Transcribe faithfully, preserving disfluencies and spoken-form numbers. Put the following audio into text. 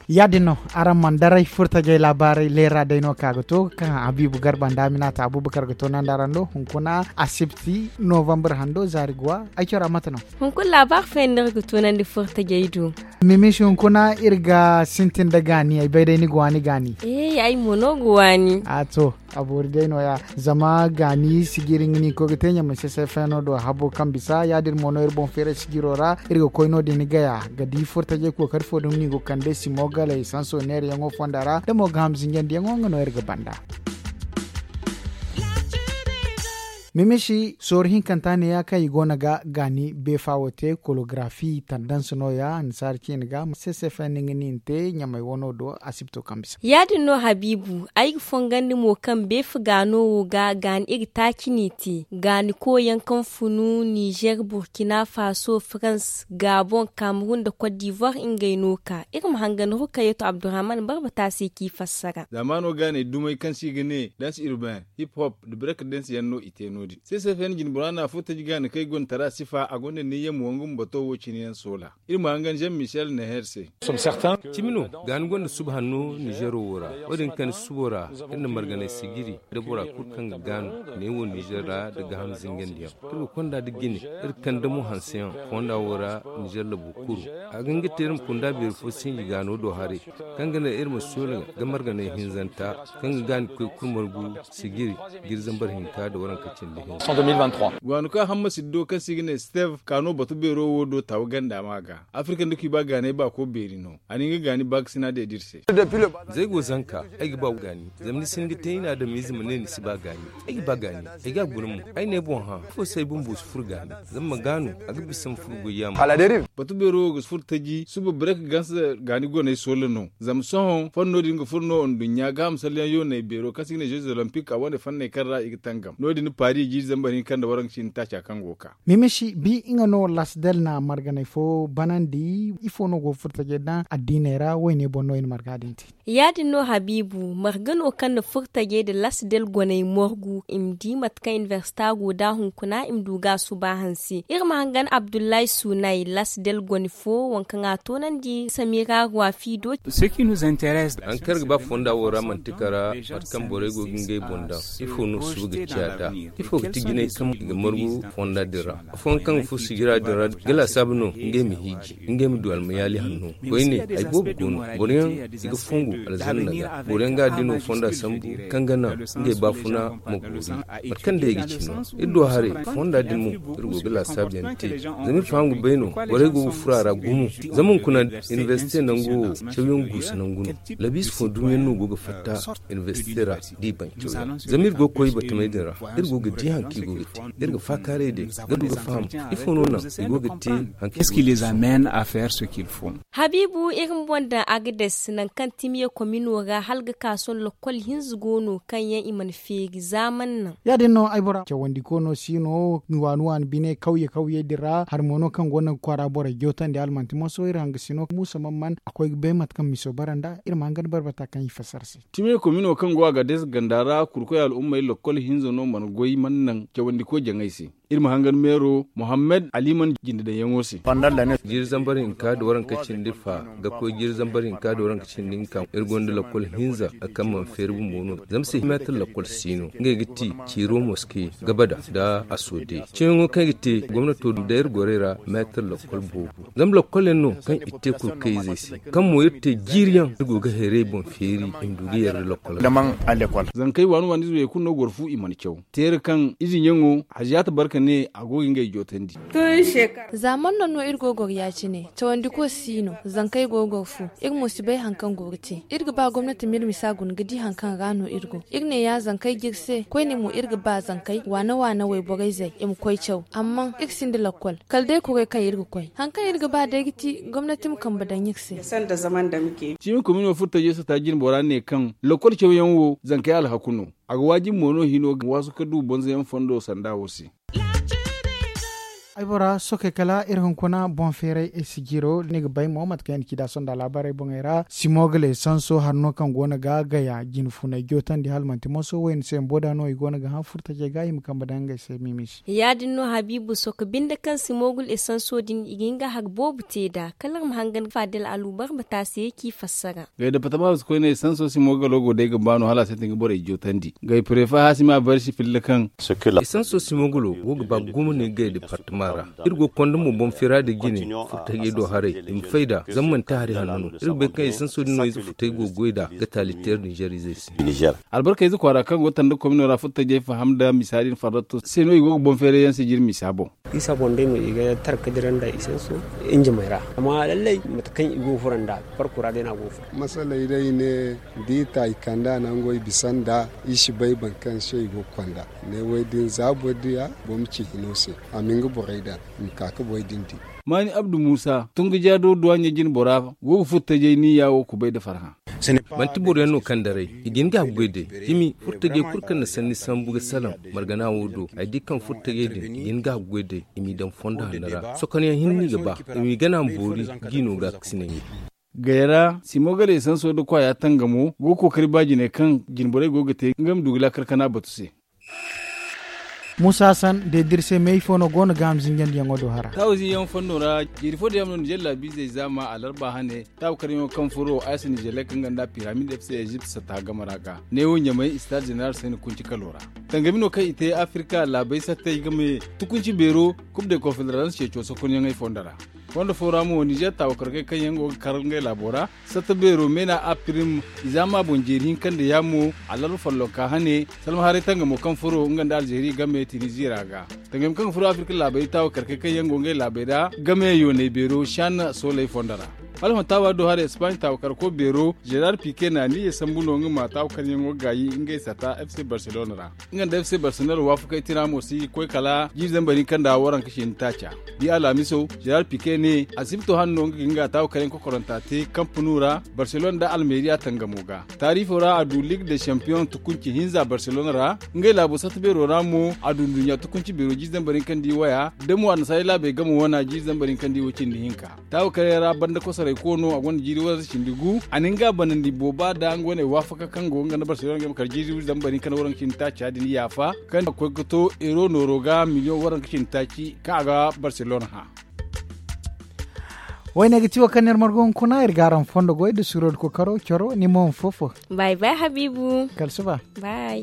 Ya- din no, araŋ mana daray furtajey laabaarey leera day no ka ga to kaŋ habiibu garba nda aminata abubakar ga to nandi araŋ do hunkuna asibti novambar hando zaari guwa ay cora mate no. Hunkuna laabaari fooyaŋ no iri ga to nandi furtajey do. Mimishi hunkuna iri ga sintin nda gaani ay bay day ni ga waani gaani. Ay mo no ga waani. A to, a boori day no- ya. Zama gaani sijiri nga no i koy ga te ɲamay se se feeno do habo kaŋ bisa ya- din mo no iri boŋ feeray sijiro ra. Iri ga koy no- din gaya ga di furtajey kookari fo dumi no i go ga kande simo galay sanso neerayaŋo fonda ra da mo ga ham zinjandiyaŋo nga no iri ga banda. Mimishi sooru hinkanta neeya kaŋ i go no ga gaani beefa wo te kologarafi tandans no- ya annasaara ciine ga sesefendi nga no i na te ɲamay wano do asibto kaŋ bisa. Ya- din no habiibu ay ga fongandi mo kaŋ beefa gaano wo ga gaani iri taaci no i te gaani koyyaŋ kaŋ funu nizer burkina faso farans gabon kamerun nda kot divoir ngey no ka iri ma hangan rukayeto abdurahman barbata se k'i fassara. Zaamaano gaaney dumey kaŋ se i ga ne danse urbain hip hop nda break danse yaŋ no i te no- din sesefendi jinbora no a fo taji gaani kaŋ i gonda tara sifa a gonda niyyam wangu ma bato wo cine yaŋ soola. Iri ma hangan jean michel neher se. Cimi no gaani gonda suba hanno nizero wo ra. Wo- din kani subo ra iri na marganay sijiri nda bora kulu kaŋ ga gaanu ne wo nizer ra nda gaaham zingandiyaŋ. Iri ga konda nda jine iri ga kande mo hanseyaŋ fonda wo ra. Nizer labo kuru a ga hin ga te iri ma kunda beeri fo sinji gaano do haray kaŋ ga naŋ iri ma soola ga marganay hinzanta kaŋ ga gaani koy kulu margu sijiri. Jiri zambar hinka nda waranka cindi hinza. Gwaano kaŋ hamma siddo kaŋ se i ga ne steve kaano batu beero wo do tawa ganda ma ga afirka nda kuba gaanay baako beeri no a na nga gaani baakasina deeda iri se. Zay go zanka ay ga ba gaani. Zama ni si hin ga te i na adamize ma ne ni si ba gaani. Ay ga ba gaani. Ay ga a guna mo ay ne boŋ hã ifo se ay bumbo si furo gaani. Zama ma gaanu a ga bisa ma furo goy yaama. Batu beero wo ga si furo taji suba break ganse gaani goney soola no. Zama sohõ fonno din ga furo no nduɲɲa gaaham salleyaŋ yooney beero kaŋ se i ga ne jeux olympique a wane fanney kaŋ ra i ga tangam no- din paris jiiri zambar hinka nda waranka cindi taaca kaŋ go ga ka. Mimishi bi nga no lasdel na marganay fo banandi ifo no go ga furo tajey daŋ addiiney ra wayne boŋ no i na marga din te. Ya- din no habiibu marga no kaŋ na furo tajey nda lasdel goney morgu i ma di mate kaŋ inibersita go nd'a hunkuna i ma du ga a suba hanse iri ma hangan abdullahi sunay lasdel gone fo waŋ kaŋ a toonandi samira ruwafi do. Haŋ kaŋ iri ga ba fonda wo ra manti kara mate kaŋ borey go ga ngey boŋ daŋ ifo no suba ga ciya nd'a? Ifo ga ti jinay kaŋ i ga margu fonda din ra? Afooyaŋ kaŋ ga furo sijira din ra ga laasaabu no ngey ma hiiji ngey ma du almayaali hanno. Koyne ay boobo go no boro yaŋ i ga fongu alzanna ga boro yaŋ ga addiino fonda sambu kaŋ ga naŋ ngey baafuna ma boori. Mate kaŋ day ay ga ci no iri do haray fonda din mo iri go ga laasaabu yaŋ te. Zama iri faham ga bay no borey go ga furo a ra gumo. Zama hunkuna inibersite nango wo cawyaŋ guusu nangu no. Labiisi fo dumiyaŋ no go ga fatta inibersite ra da i baŋ cawyaŋ zama iri go ga koy batamey din ra. Iri go ga di haŋ kaŋ i go ga te iri ga faakaaray day ga du ga faham ifo no naŋ i go ga te haŋ kaŋ i go ga te. Habiibu iri ma boŋ daŋ agades nangu kaŋ timiye komino ra hala ga ka sohõ lakkol hinza go no kaŋ yaŋ i mana feeri zaaman naŋ. Ya- din no ay bora cawandi ko no si no waani waani bine kawye kawye din ra hari mo no kaŋ go no ga kwaara borey jootandi hala manti moso iri hanga si no muusa man man a koy ga bay mate kaŋ miso bara nd'a iri ma hanga nda barbata kaŋ i fassara se. Timiye komino kaŋ go a ga deesa ganda ra kurkoy al'ummey lakkol hinza no mana goy mana naŋ cawandi ko jaŋay se. Iri ma hangan meero muhammad ali mana jinde daŋ yaŋo se. Jiiri zambar hinka nda waranka cindi fa ga koy jiiri zambar hinka nda waranka cindi hinka iri gonda lakkol hinza kaŋ mana feeri bumbo no zama se meetar lakkol si no ngey ga ti ciiro moske gabada nda asoode. Ciyaŋo kaŋ i ga te gomnato da iri gorey ra meetar lakkol boobo zama lakkol yaŋ no kaŋ i te kurkayzey se kaŋ mo iri te jiiri yaŋ iri go ga hayray boŋ feeri i ma du ga yar da lakkol. Zankey waani waani ize wo kulu no goro fu i mana caw teera kaŋ ize ɲaŋo haziyaata barka ne a go ga ngey jootandi. Zaaman naŋ no iri go ga goro ya- cine cawandi ko si no zankey go ga goro fu. Iri mo si bay hari kaŋ go ga te iri ga ba gomnati ma iri misa guna ga di hari kaŋ ra no iri go. Iri ne ya zankey ga iri se koyne mo iri ga ba zankey waana waana wayborey zey i ma koy caw amma iri sinda lakkol kala day kurey kaŋ iri ga koy hari kaŋ iri ga ba day ga ti gomnati ma kambe daŋ iri se. Ciimi komino furtajey sata jinbora ne kaŋ lakkol cawyaŋ wo zankey alhaku no. A ga waajibi mo no hino ga waasu ga du bonzoyaŋ fondo sanda wo se. Ay bora sookey kala iri hunkuna boŋ feeray ay si jiiro ni ga bay mo mate kaŋ yaŋ na ci da sonda laabaarey boŋey ra simoogale sanso hari no kaŋ go no ga gaya jine funay jootandi hala manti moso wayne se bumbo da no i go no ga hã furtajey ga i ma kambe daŋ ngey se miimi se. Ya- din no habiibu sooka binde kaŋ simoogul esanso din i ga hin ga hari boobo te nd'a kala iri ma hangan faadil aluubar ma te a se k'i fassara. Gay departama wasu koyne esanso simoogalo go day ga ba no hala a sintin ga borey jootandi gay prefe haasima barsi filla kaŋ esanso simoogalo go ga ba gumo ne gay departama ra. Iri go ga konda mo boŋ feera nda jine furtajey do haray i ma fay nd'a zama manti hari hanno no iri ga bay kaŋ esanso din no ize furtajey go ga goy nd'a ga taali teeri ninzeer izey se. Albarka ize kwaara kaŋ go ga tanda komino ra furtajey faham nda misa din farratto se no i go ga boŋ feeray yaŋ se jiri misa boŋ. Isa boŋ day no i ga tara ka dira nda i sanso injimey ra. Amma lallay mate kaŋ i go ga furo nda farko ra day no a go ga furo. Masaley day i ne da i ta i kande a nango i bisa nda i si bay boro kaŋ se i go ga konda. Ne wo- din za boro diya boro ma ci hino se a ma nga borey daŋ i ma ka ga borey din di. Maani abdu muusa tungu jaado duwaaɲey jine bora go ga furtajey niya wo kubay nda farhã. Manti boro yaŋ no kaŋ daray i ga hin ga a ga goy day. Cimi furtajey kulu kaŋ na sanni sambu ga salaŋ margana wo do ay di kaŋ furtajey din i ga hin ga a ga goy day i m'i daŋ fondo hanno ra sokonyaŋ hinne i ga ba i m'i gana ma boori. Jiino ga ga si naŋ i. Gayra simoogale sanso nda kwaaya tangamo go ga kookari ba jine kaŋ jine borey go ga te nga ma du ga laakar kana batu se. Muusa san deediri se meeyi fo no go no ga ham zinjandiyaŋo do hara. Taawu zinyaŋo fondo ra jeeri fo diyaŋ no nizer laabiizey zaama alarba hane taawu karyaŋo kaŋ furo aysa nizer lek nga nda piramid f c ezipt satta game ra ga neewo ɲamay istaad zeneral se ni kunci kalo ra. Tangami no kaŋ i te afirka laabey sattey game tukunci beero kub de konfederans ceeco sokonyaŋey fondo ra. Fondo fo ra mo nizer taawu karkey kaŋ yaŋ go ga kar ngey laabo ra satta beero meena apirim i zaama boŋ jeeri hinka nda yaamo alarba follonka hane salma haray tangamo kaŋ furo nga nda alzeeri game tiniziya ra ga. Tangami kaŋ ga furo afirka laabey taawu karkey kaŋ yaŋ go ngey laabey ra game yooney beero shan sooley fondo ra. Hala hõ taawa do hara espaaɲ taawu karko beero zerar pike na niyyey sambu no nga ma taawu karyaŋo gaayi ngey sata f c barcelona ra. Nga nda f c barcelona waafakey tira mo si koy kala jiiri zambar hinka nda waranka cindi taaca. Di alhamiso zerar pike ne asibto hane no nga ga hin ga taawu karyaŋ kokoranta te kampunu ra barcelona nda almeeriya tangamo ga. Taariifo ra a du ligue de champion tukunci hinza barcelona ra. Ngey laabo satta beero ra mo a du nduɲɲa tukunci beero jiiri zambar hinka nda i waya da mo annasaarey laabey game wana jiiri zambar hinka nda i wo cindi hinka. Taawu karyaŋ ra banda kosorey koono a gonda jiiri waranka cindi gu a na nga banandi booba nda nga wane waafaka kaŋ go nga nda barcelona game kala jiiri zambar hinka nda waranka cindi taaca din yaafa kaŋ a koy ga to euro nooro ga miliyoŋ waranka cindi taaci kaŋ a ga barcelona hã. Wayne ga ti wo kaŋ no iri margu hunkuna iri ga araŋ fondo goy nda suuro nda kookaro coro ni mo ma fo fo. Bay bay habiibu. Kala suba. Bay.